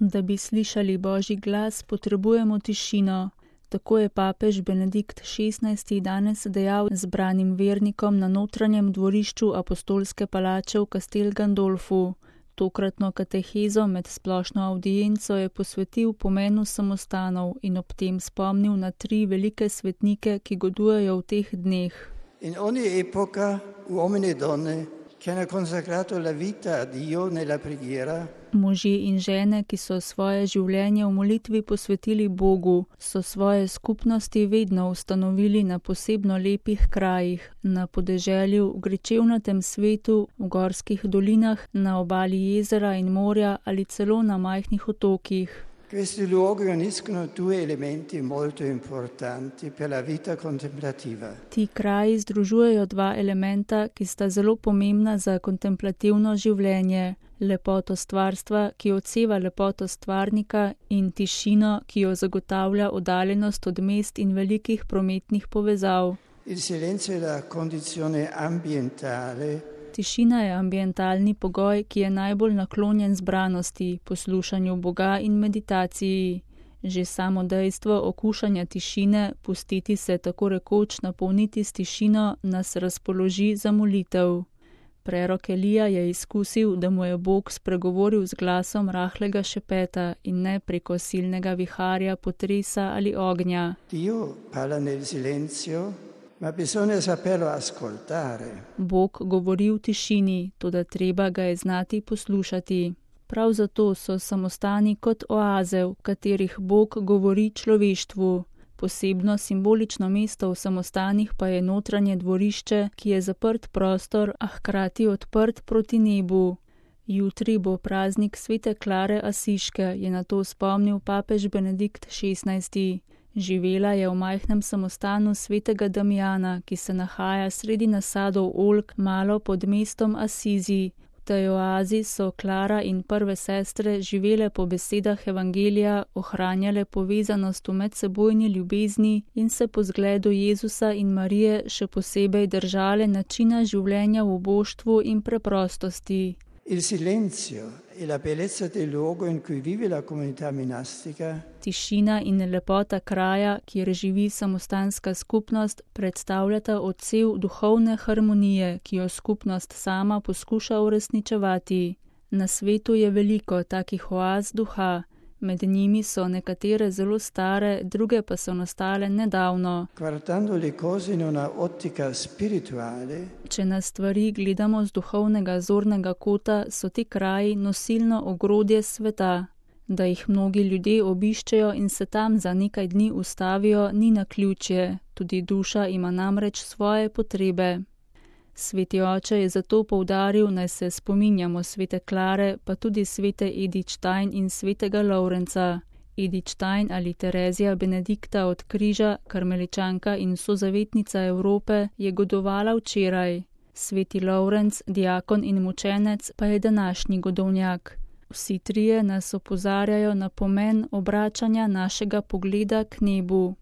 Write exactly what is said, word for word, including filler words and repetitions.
Da bi slišali Božji glas, potrebujemo tišino. Tako je papež Benedikt šestnajsti danes dejal zbranim vernikom na notranjem dvorišču apostolske palače v Castel Gandolfu. Tokratno katehezo med splošno avdienco je posvetil pomenu samostanov in ob tem spomnil na tri velike svetnike, ki godujejo v teh dneh. In ogni epoca uomini e donne che hanno consacrato la vita a Dio nella preghiera. Možje in žene, ki so svoje življenje v molitvi posvetili Bogu, so svoje skupnosti vedno ustanovili na posebno lepih krajih, na podeželju, v gričevnatem svetu, v gorskih dolinah, na obali jezera in morja ali celo na majhnih otokih. Questi luoghi uniscono due elementi molto importanti per la vita contemplativa. Ti kraji združujejo dva elementa, ki sta zelo pomembna za kontemplativno življenje. Lepoto stvarstva, ki odseva lepoto stvarnika, in tišino, ki jo zagotavlja oddaljenost od mest in velikih prometnih povezav. Il silenzio è la condizione ambientale. Tišina je ambientalni pogoj, ki je najbolj naklonjen zbranosti, poslušanju Boga in meditaciji. Že samo dejstvo okušanja tišine, pustiti se tako rekoč napolniti s tišino, nas razpoloži za molitev. Prerok Elija je izkusil, da mu je Bog spregovoril z glasom rahlega šepeta in ne preko silnega viharja, potresa ali ognja. Dio parla nel silenzio, ma bisogna saperlo ascoltare. Bog govori v tišini, toda treba ga je znati poslušati. Prav zato so samostani kot oaze, v katerih Bog govori človeštvu. Posebno simbolično mesto v samostanih pa je notranje dvorišče, ki je zaprt prostor, a hkrati odprt proti nebu. Jutri bo praznik svete Klare Asiške, je na to spomnil papež Benedikt šestnajsti. Živela je v majhnem samostanu svetega Damijana, ki se nahaja sredi nasadov oljk malo pod mestom Asizi. V tej oazi so Klara in prve sestre živele po besedah evangelija, ohranjale povezanost v medsebojni ljubezni in se po zgledu Jezusa in Marije še posebej držale načina življenja v uboštvu in preprostosti. Il silenzio e la bellezza del luogo in cui vive la comunità monastica. Tišina in lepota kraja, kjer živi samostanska skupnost, predstavljata odsev duhovne harmonije, ki jo skupnost sama poskuša uresničevati. Na svetu je veliko takih oaz duha. Med njimi so nekatere zelo stare, druge pa so nastale nedavno. Guardando le cose in una ottica spirituale. Če na stvari gledamo z duhovnega zornega kota, so ti kraji nosilno ogrodje sveta. Da jih mnogi ljudje obiščejo in se tam za nekaj dni ustavijo, ni naključje. Tudi duša ima namreč svoje potrebe. Sveti oče je zato poudaril, naj se spominjamo svete Klare, pa tudi svete Edith Stein in svetega Lovrenca. Edith Stein ali Terezija Benedikta od Križa, karmeličanka in sozavetnica Evrope, je godovala včeraj. Sveti Lovrenc, diakon in mučenec, pa je današnji godovnjak. Vsi trije nas opozarjajo na pomen obračanja našega pogleda k nebu.